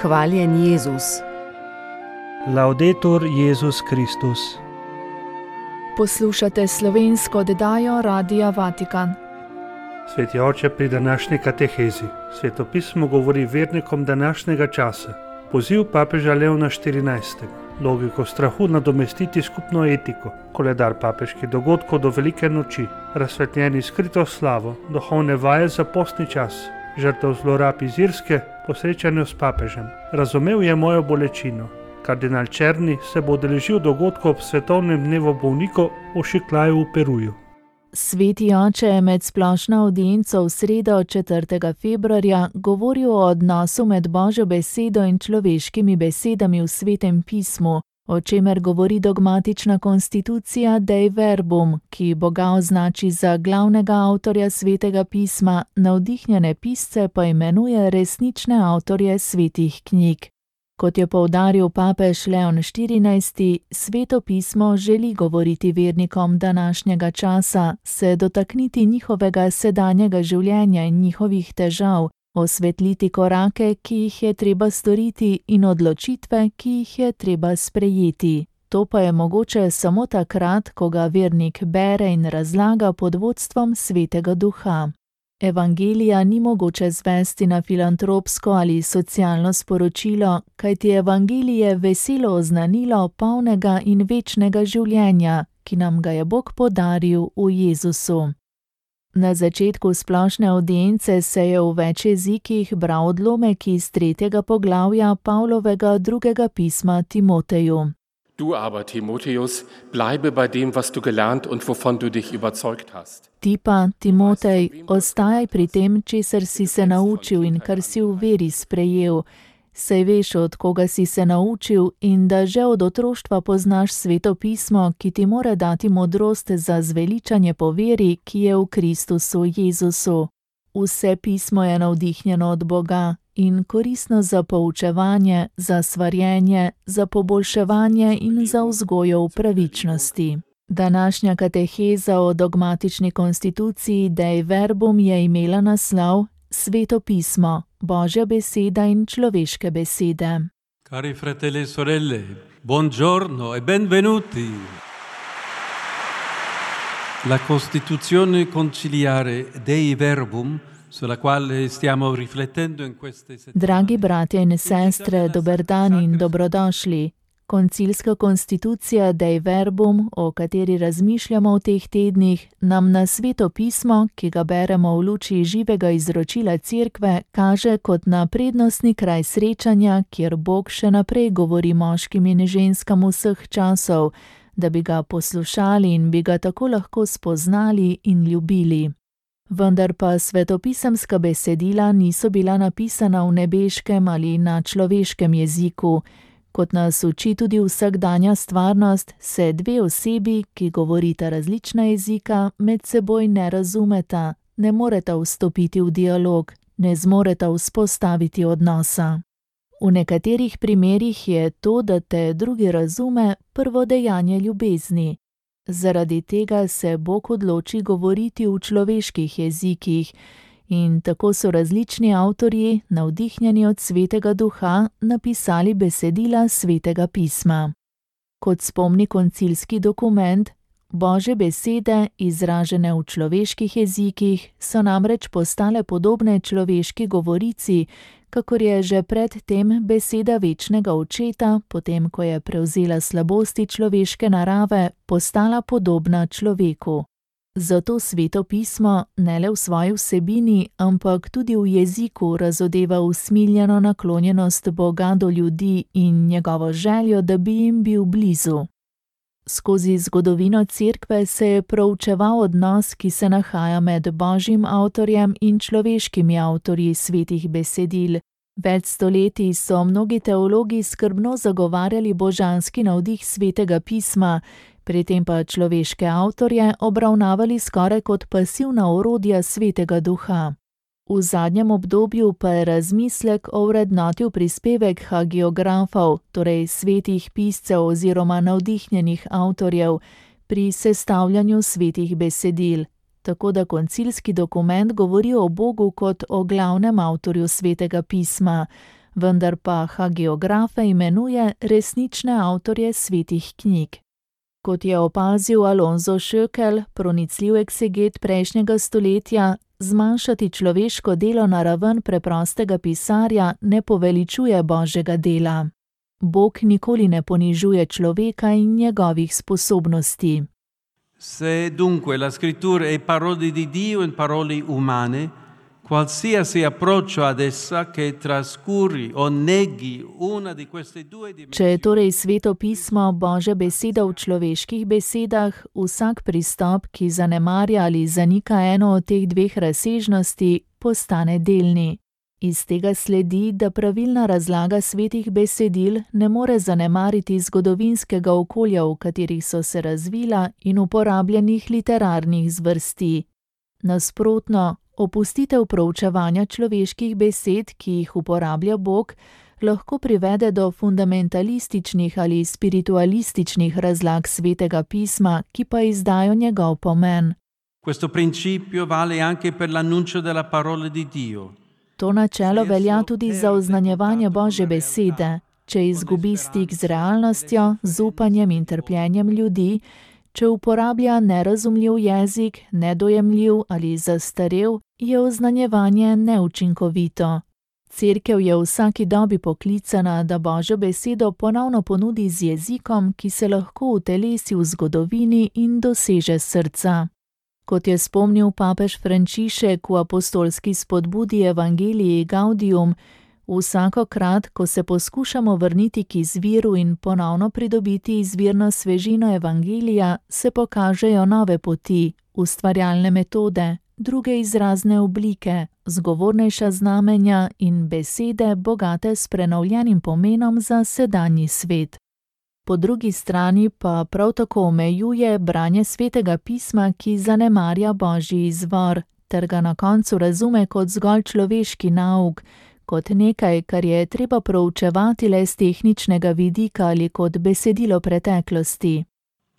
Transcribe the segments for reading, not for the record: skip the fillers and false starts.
Hvaljen Jezus. Laudetur Jezus Kristus. Poslušate slovensko oddajo Radia Vatikan. Sveti oče, pri današnji katehezi svetopismo govori vernikom današnjega časa. Poziv papeža Leona XIV. Logiko strahu nadomestiti skupno etiko. Koledar papeških dogodkov do velike noči. Razsvetljeni skrito slavo. Duhovne vaje za postni čas. Žrtev zlorab iz Irske po srečanju s papežem. Razumel je mojo bolečino. Kardinal Černi se bo udeležil dogodkov ob svetovnem dnevu bolnikov v Šiklaju v Peruju. Sveti oče je med splošno avdienco v sredo 4. februarja govoril o odnosu med Božjo besedo in človeškimi besedami v Svetem pismu, o čemer govori dogmatična konstitucija Dei Verbum, ki Boga označi za glavnega avtorja Svetega pisma, navdihnjene pisce pa imenuje resnične avtorje svetih knjig. Kot je poudaril papež Leon XIV, Sveto pismo želi govoriti vernikom današnjega časa, se dotakniti njihovega sedanjega življenja in njihovih težav, osvetliti korake, ki jih je treba storiti, in odločitve, ki jih je treba sprejeti. To pa je mogoče samo takrat, ko ga vernik bere in razlaga pod vodstvom Svetega Duha. Evangelija ni mogoče zvesti na filantropsko ali socialno sporočilo, kajti evangelije veselo oznanilo polnega in večnega življenja, ki nam ga je Bog podaril v Jezusu. Na začetku splošne avdience se je v več jezikih bral odlomek iz 3. poglavja Pavlovega 2. pisma Timoteju. Du aber, Timotheus, bleibe bei dem, was du gelernt und wovon du dich überzeugt hast. Ti pa, Timotej, ostajaj pri tem, česar si se naučil in kar si v veri sprejel. Saj veš, od koga si se naučil, in da že od otroštva poznaš Sveto pismo, ki ti mora dati modrost za zveličanje po veri, ki je v Kristusu Jezusu. Vse pismo je navdihnjeno od Boga in koristno za poučevanje, za svarjenje, za poboljševanje in za vzgojo v pravičnosti. Današnja kateheza o dogmatični konstituciji Dei Verbum je imela naslov Sveto pismo, Božja beseda in človeške besede. Cari fratelli e sorelle, buongiorno e benvenuti. La Costituzione conciliare Dei Verbum, sulla quale stiamo riflettendo in queste settimane. Dragi bratje in sestre, dober dan in dobrodošli. Koncilska konstitucija Dei Verbum, o kateri razmišljamo v teh tednih, nam na Sveto pismo, ki ga beremo v luči živega izročila Cerkve, kaže kot na prednostni kraj srečanja, kjer Bog še naprej govori moškim in ženskam vseh časov, da bi ga poslušali in bi ga tako lahko spoznali in ljubili. Vendar pa svetopisemska besedila niso bila napisana v nebeškem ali na človeškem jeziku. Kot nas uči tudi vsakdanja stvarnost, se dve osebi, ki govorita različna jezika, med seboj ne razumeta, ne moreta vstopiti v dialog, ne zmoreta vzpostaviti odnosa. V nekaterih primerih je to, da te drugi razume, prvo dejanje ljubezni. Zaradi tega se Bog odloči govoriti v človeških jezikih in tako so različni avtorji, navdihnjeni od Svetega Duha, napisali besedila Svetega pisma. Kot spomni koncilski dokument, Božje besede, izražene v človeških jezikih, so namreč postale podobne človeški govorici, kakor je že pred tem beseda večnega očeta, potem ko je prevzela slabosti človeške narave, postala podobna človeku. Zato Sveto pismo ne le v svoji vsebini, ampak tudi v jeziku razodeva usmiljeno naklonjenost Boga do ljudi in njegovo željo, da bi jim bil blizu. Skozi zgodovino Cerkve se je proučeval odnos, ki se nahaja med Božjim avtorjem in človeškimi avtorji svetih besedil. Več stoletij so mnogi teologi skrbno zagovarjali božanski navdih Svetega pisma, pri tem pa človeške avtorje obravnavali skoraj kot pasivna orodja Svetega Duha. V zadnjem obdobju pa je razmislek ovrednotil prispevek hagiografov, torej svetih piscev oziroma navdihnjenih avtorjev, pri sestavljanju svetih besedil, tako da koncilski dokument govori o Bogu kot o glavnem avtorju Svetega pisma, vendar pa hagiografe imenuje resnične avtorje svetih knjig. Kot je opazil Alonso Schöckel, pronicljiv ekseget prejšnjega stoletja, zmanjšati človeško delo na raven preprostega pisarja ne poveličuje Božjega dela. Bog nikoli ne ponižuje človeka in njegovih sposobnosti. Se dunque la scrittura è parole di Dio in parole umane, qualsiasi approccio ad essa che trascuri o neghi una di queste due dimensioni. Če je torej Sveto pismo Božja beseda v človeških besedah, vsak pristop, ki zanemarja ali zanika eno od teh dveh razsežnosti, postane delni. Iz tega sledi, da pravilna razlaga svetih besedil ne more zanemariti zgodovinskega okolja, v katerih so se razvila, in uporabljenih literarnih zvrsti. Nasprotno, opustitev proučevanja človeških besed, ki jih uporablja Bog, lahko privede do fundamentalističnih ali spiritualističnih razlag Svetega pisma, ki pa izdajo njegov pomen. Questo principio vale anche per l'annuncio della parola di Dio. To načelo velja tudi za oznanjevanje Božje besede. Če izgubi stik z realnostjo, z upanjem in trpljenjem ljudi, če uporablja nerazumljiv jezik, nedojemljiv ali zastarel, je oznanjevanje neučinkovito. Cerkev je v vsaki dobi poklicana, da Božjo besedo ponovno ponudi z jezikom, ki se lahko utelesi v zgodovini in doseže srca. Kot je spomnil papež Frančišek v apostolski spodbudi Evangelii Gaudium, vsakokrat, ko se poskušamo vrniti k izviru in ponovno pridobiti izvirno svežino Evangelija, se pokažejo nove poti, ustvarjalne metode, druge izrazne oblike, zgovornejša znamenja in besede, bogate s prenovljenim pomenom za sedanji svet. Po drugi strani pa prav tako omejuje branje Svetega pisma, ki zanemarja Božji izvor, ter ga na koncu razume kot zgolj človeški nauk, kot nekaj, kar je treba proučevati le z tehničnega vidika ali kot besedilo preteklosti.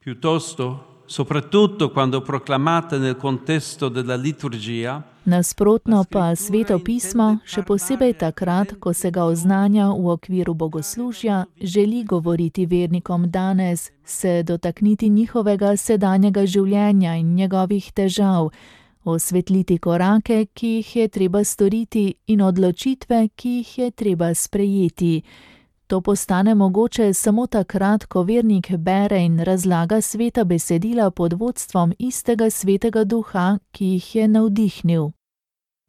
Piuttosto, soprattutto quando proclamata nel contesto della liturgia, nasprotno pa Sveto pismo, še posebej takrat, ko se ga oznanja v okviru bogoslužja, želi govoriti vernikom danes, se dotakniti njihovega sedanjega življenja in njegovih težav, osvetliti korake, ki jih je treba storiti, in odločitve, ki jih je treba sprejeti. To postane mogoče samo takrat, ko vernik bere in razlaga sveta besedila pod vodstvom istega Svetega Duha, ki jih je navdihnil.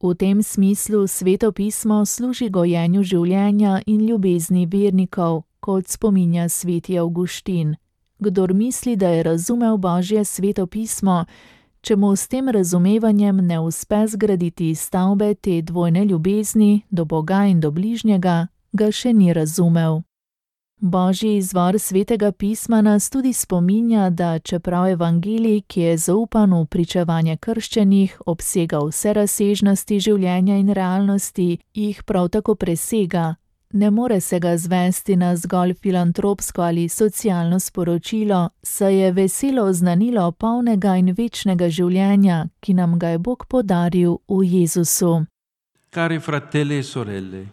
V tem smislu Sveto pismo služi gojenju življenja in ljubezni vernikov, kot spominja sveti Avguštin. Kdor misli, da je razumel Božje Sveto pismo, če mu s tem razumevanjem ne uspe zgraditi stavbe te dvojne ljubezni do Boga in do bližnjega, ga še ni razumel. Božji izvor Svetega pisma nas tudi spominja, da čeprav evangelij, ki je zaupan v pričevanje krščenih, obsega vse razsežnosti življenja in realnosti, jih prav tako presega. Ne more se ga zvesti na zgolj filantropsko ali socialno sporočilo, saj je veselo oznanilo polnega in večnega življenja, ki nam ga je Bog podaril v Jezusu. Cari fratelli e sorelle,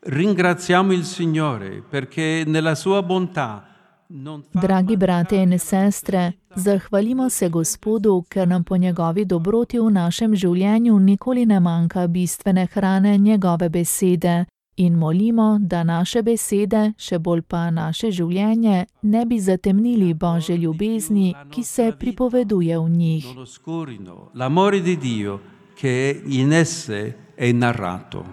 ringraziamo il Signore perché nella sua bontà non fa. Dragi brate in sestre, zahvalimo se Gospodu, ker nam po njegovi dobroti v našem življenju nikoli ne manjka bistvene hrane njegove besede. In molimo, da naše besede, še bolj pa naše življenje, ne bi zatemnili Božje ljubezni, ki se pripoveduje v njih. L'amore di Dio che in esse è narrato.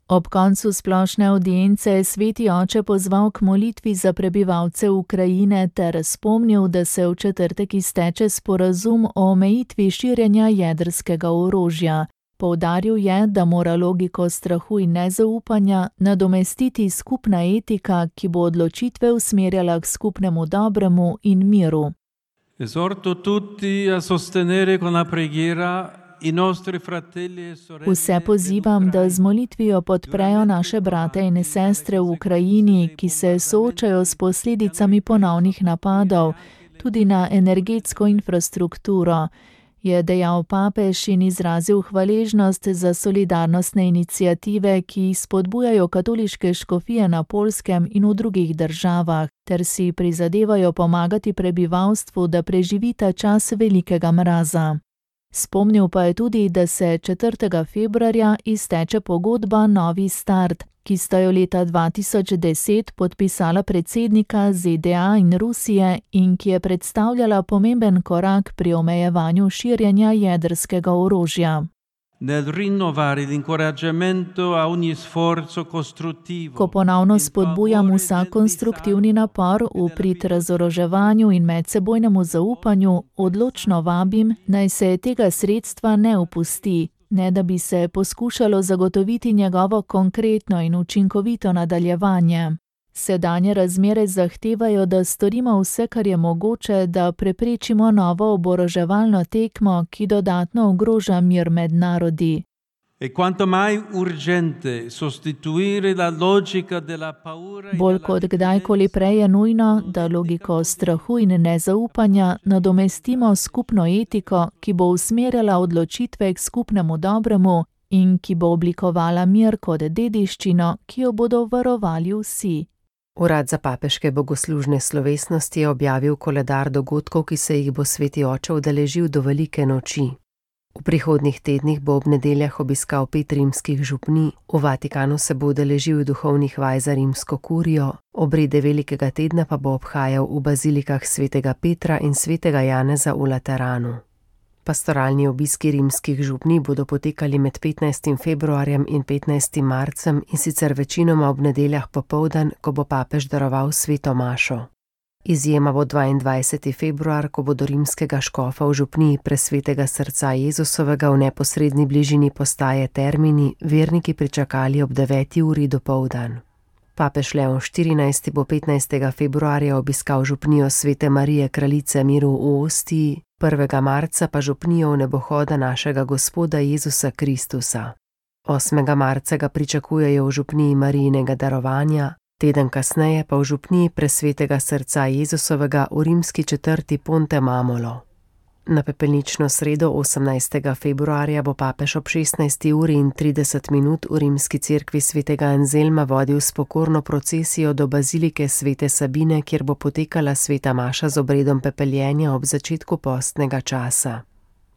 Ob koncu splošne audience je sveti oče pozval k molitvi za prebivalce Ukrajine ter spomnil, da se v četrtek izteče sporazum o omejitvi širjenja jedrskega orožja. Poudaril je, da mora logiko strahu in nezaupanja nadomestiti skupna etika, ki bo odločitve usmerjala k skupnemu dobremu in miru. Esorto tutti a sostenere con la preghiera i nostri fratelli e sorelle. Vse pozivam, da z molitvijo podprejo naše brate in sestre v Ukrajini, ki se soočajo s posledicami ponovnih napadov, tudi na energetsko infrastrukturo. je dejal papež in izrazil hvaležnost za solidarnostne iniciative, ki jih spodbujajo katoliške škofije na Poljskem in v drugih državah, ter si prizadevajo pomagati prebivalstvu, da preživi ta čas velikega mraza. Spomnil pa je tudi, da se 4. februarja izteče pogodba Novi start, ki sta jo leta 2010 podpisala predsednika ZDA in Rusije in ki je predstavljala pomemben korak pri omejevanju širjenja jedrskega orožja. Nel rinnovare l'incoraggiamento a ogni sforzo costruttivo. Ko ponovno spodbujam vsak konstruktivni napor v prid razoroževanju in medsebojnemu zaupanju, odločno vabim, naj se tega sredstva ne opusti, ne da bi se poskušalo zagotoviti njegovo konkretno in učinkovito nadaljevanje. Sedanje razmere zahtevajo, da storimo vse, kar je mogoče, da preprečimo novo oboroževalno tekmo, ki dodatno ogroža mir med narodi. E quanto mai urgente sostituire la logica della paura. Bolj kot kdajkoli prej je nujno, da logiko strahu in nezaupanja nadomestimo skupno etiko, ki bo usmerjala odločitve k skupnemu dobremu in ki bo oblikovala mir kot dediščino, ki jo bodo varovali vsi. Urad za papeške bogoslužne slovesnosti je objavil koledar dogodkov, ki se jih bo sveti oče udeležil do velike noči. V prihodnjih tednih bo ob nedeljah obiskal 5 rimskih župnij, v Vatikanu se bo udeležil duhovnih vaj za rimsko kurijo, obrede velikega tedna pa bo obhajal v bazilikah svetega Petra in svetega Janeza v Lateranu. Pastoralni obiski rimskih župnij bodo potekali med 15. februarjem in 15. marcem in sicer večinoma ob nedeljah popoldan, ko bo papež daroval sveto mašo. Izjema bo 22. februar, ko bo do rimskega škofa v župniji presvetega srca Jezusovega v neposredni bližini postaje Termini verniki pričakali ob 9. uri dopoldan. Papež Leon XIV. Bo 15. februarja obiskal župnijo svete Marije kraljice miru v Ostiji, 1. marca pa župnijo vnebohoda našega Gospoda Jezusa Kristusa. 8. marca ga pričakujejo v župniji Marijinega darovanja, teden kasneje pa v župniji presvetega srca Jezusovega v rimski četrti Ponte Mamolo. Na pepelnično sredo 18. februarja bo papež ob 16. uri in 30 minut v rimski cerkvi svetega Anzelma vodil spokorno procesijo do bazilike svete Sabine, kjer bo potekala sveta maša z obredom pepeljenja ob začetku postnega časa.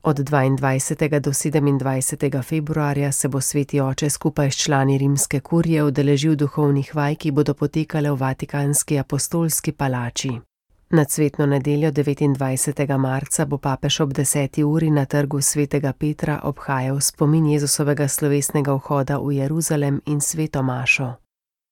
Od 22. do 27. februarja se bo sveti oče skupaj s člani rimske kurije udeležil duhovnih vaj, ki bodo potekale v Vatikanski apostolski palači. Na cvetno nedeljo 29. marca bo papež ob 10. uri na trgu svetega Petra obhajal spomin Jezusovega slovesnega vhoda v Jeruzalem in sveto mašo.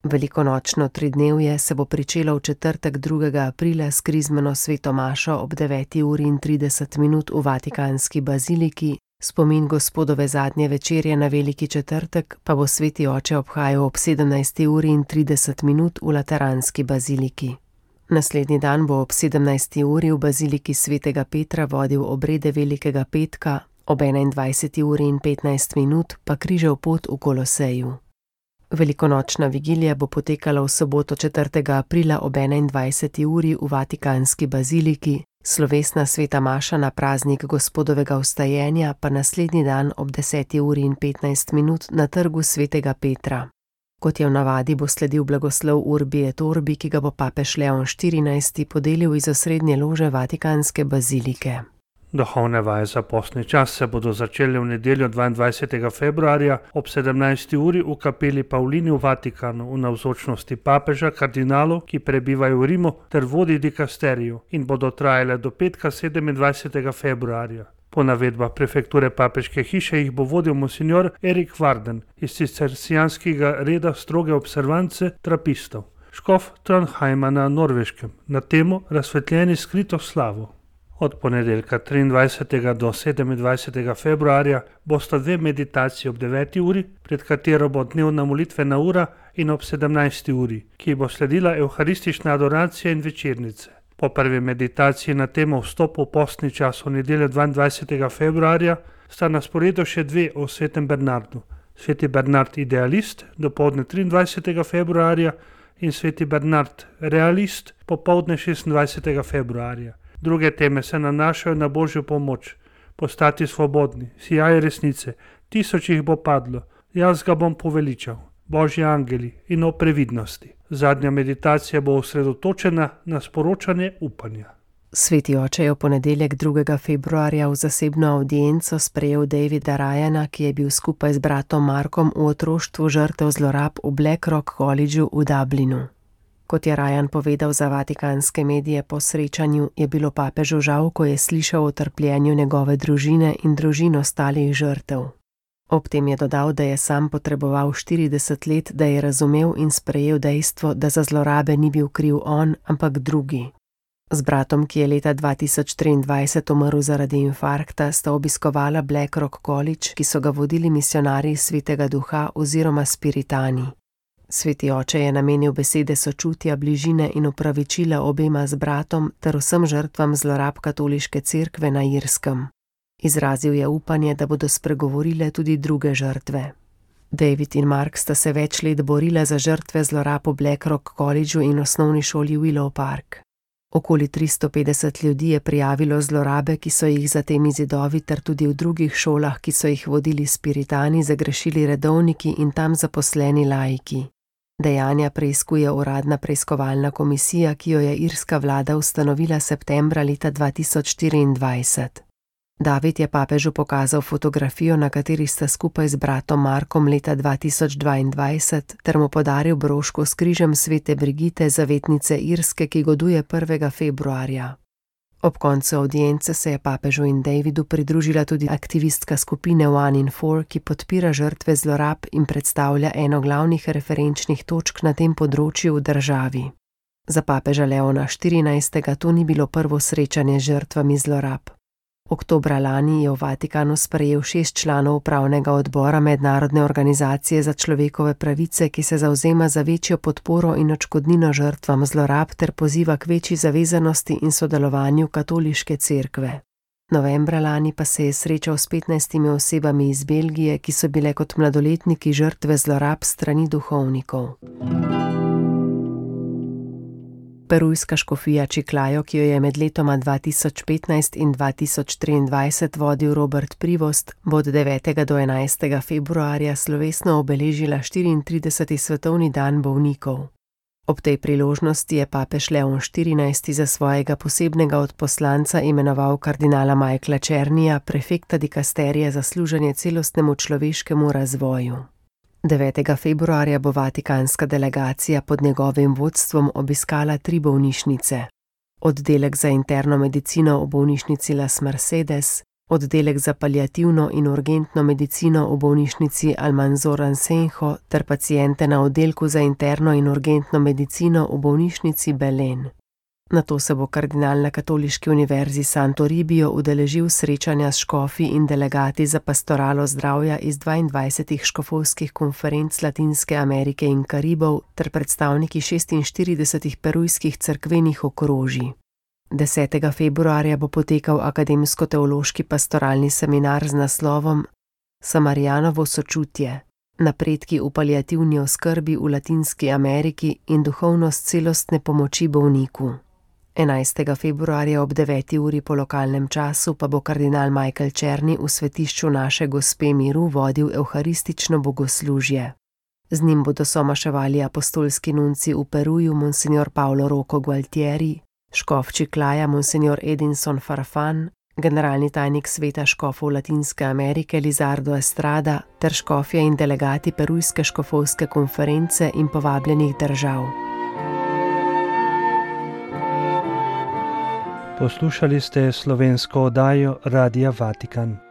Velikonočno tridnevje se bo pričelo v četrtek 2. aprila s krizmeno sveto mašo ob 9. uri in 30 minut v Vatikanski baziliki, spomin Gospodove zadnje večerje na veliki četrtek pa bo sveti oče obhajal ob 17. uri in 30 minut v Lateranski baziliki. Naslednji dan bo ob 17. uri v baziliki svetega Petra vodil obrede velikega petka, ob 21. uri in 15 minut pa križev pot v Koloseju. Velikonočna vigilija bo potekala v soboto 4. aprila ob 21. uri v Vatikanski baziliki, slovesna sveta maša na praznik Gospodovega vstajenja pa naslednji dan ob 10. uri in 15 minut na trgu svetega Petra. Kot je v navadi, bo sledil blagoslov Urbi et Orbi, ki ga bo papež Leon XIV. Podelil iz osrednje lože Vatikanske bazilike. Duhovne vaje za postni čas se bodo začele v nedeljo 22. februarja ob 17. uri v kapeli Pavlini v Vatikanu v navzočnosti papeža, kardinalov, ki prebivajo v Rimu, ter vodij dikasteriju in bodo trajale do petka 27. februarja. Po navedbah prefekture papeške hiše jih bo vodil monsignor Erik Varden iz cistercijanskega reda stroge observance trapistov, škof Trondheima na Norveškem, na temo Razsvetljeni skrito slavo. Od ponedeljka 23. do 27. februarja bosta 2 meditacije ob 9. uri, pred katero bo dnevna molitvena ura, in ob 17. uri, ki bo sledila evharistična adoracija in večernice. Po prvi meditaciji na temo vstopu v postni čas v nedeljo 22. februarja sta na sporedu še 2 o svetem Bernardu. Sveti Bernard idealist, dopoldne 23. februarja, in sveti Bernard realist, popoldne 26. februarja. Druge teme se nanašajo na božjo pomoč, postati svobodni, sijaj resnice, 1000 jih bo padlo, jaz ga bom poveličal, božji angeli in o previdnosti. Zadnja meditacija bo osredotočena na sporočanje upanja. Sveti oče je v ponedeljek 2. februarja v zasebno avdienco sprejel Davida Ryana, ki je bil skupaj z bratom Markom v otroštvu žrtev zlorab v Blackrock Collegeu v Dublinu. Kot je Ryan povedal za vatikanske medije po srečanju, je bilo papežu žal, ko je slišal o trpljenju njegove družine in družin ostalih žrtev. Ob tem je dodal, da je sam potreboval 40 let, da je razumel in sprejel dejstvo, da za zlorabe ni bil kriv on, ampak drugi. Z bratom, ki je leta 2023 umrl zaradi infarkta, sta obiskovala Blackrock College, ki so ga vodili misionarji Svetega Duha oziroma Spiritani. Sveti oče je namenil besede sočutja, bližine in opravičila obema z bratom ter vsem žrtvam zlorab katoliške cerkve na Irskem. Izrazil je upanje, da bodo spregovorile tudi druge žrtve. David in Mark sta se več let borila za žrtve zlorab v Blackrock Collegeu in osnovni šoli Willow Park. Okoli 350 ljudi je prijavilo zlorabe, ki so jih za temi zidovi ter tudi v drugih šolah, ki so jih vodili Spiritani, zagrešili redovniki in tam zaposleni laiki. Dejanja preiskuje uradna preiskovalna komisija, ki jo je irska vlada ustanovila septembra leta 2024. David je papežu pokazal fotografijo, na kateri sta skupaj z bratom Markom leta 2022, ter mu podaril broško s križem svete Brigite, zavetnice Irske, ki goduje 1. februarja. Ob koncu avdience se je papežu in Davidu pridružila tudi aktivistka skupine One in Four, ki podpira žrtve zlorab in predstavlja eno glavnih referenčnih točk na tem področju v državi. Za papeža Leona XIV. To ni bilo prvo srečanje z žrtvami zlorab. Oktobra lani je v Vatikanu sprejel 6 članov upravnega odbora Mednarodne organizacije za človekove pravice, ki se zavzema za večjo podporo in odškodnino žrtvam zlorab ter poziva k večji zavezanosti in sodelovanju katoliške cerkve. Novembra lani pa se je srečal s 15 osebami iz Belgije, ki so bile kot mladoletniki žrtve zlorab strani duhovnikov. Perujska škofija Chiclayo, ki jo je med letoma 2015 in 2023 vodil Robert Privost, bo od 9. do 11. februarja slovesno obeležila 34. svetovni dan bolnikov. Ob tej priložnosti je papež Leon XIV. Za svojega posebnega odposlanca imenoval kardinala Michaela Černija, prefekta dikasterija za služenje celostnemu človeškemu razvoju. 9. februarja bo vatikanska delegacija pod njegovim vodstvom obiskala 3 bolnišnice. Oddelek za interno medicino v bolnišnici Las Mercedes, oddelek za paliativno in urgentno medicino v bolnišnici Almanzor Ansenjo ter paciente na oddelku za interno in urgentno medicino v bolnišnici Belen. Nato se bo kardinal na Katoliški univerzi Santo Ribio udeležil srečanja s škofi in delegati za pastoralo zdravja iz 22 škofovskih konferenc Latinske Amerike in Karibov ter predstavniki 46 perujskih cerkvenih okrožij. 10. februarja bo potekal akademsko-teološki pastoralni seminar z naslovom Samarijanovo sočutje, napredki v paliativni oskrbi v Latinski Ameriki in duhovnost celostne pomoči bolniku. 11. februarja ob 9. uri po lokalnem času pa bo kardinal Michael Černi v svetišču Naše Gospe miru vodil evharistično bogoslužje. Z njim bodo somaševali apostolski nunci v Peruju monsignor Paolo Rocco Gualtieri, škof Chiclaja monsignor Edinson Farfan, generalni tajnik sveta škofov Latinske Amerike Lizardo Estrada ter škofje in delegati Perujske škofovske konference in povabljenih držav. Poslušali ste slovensko oddajo Radia Vatikan.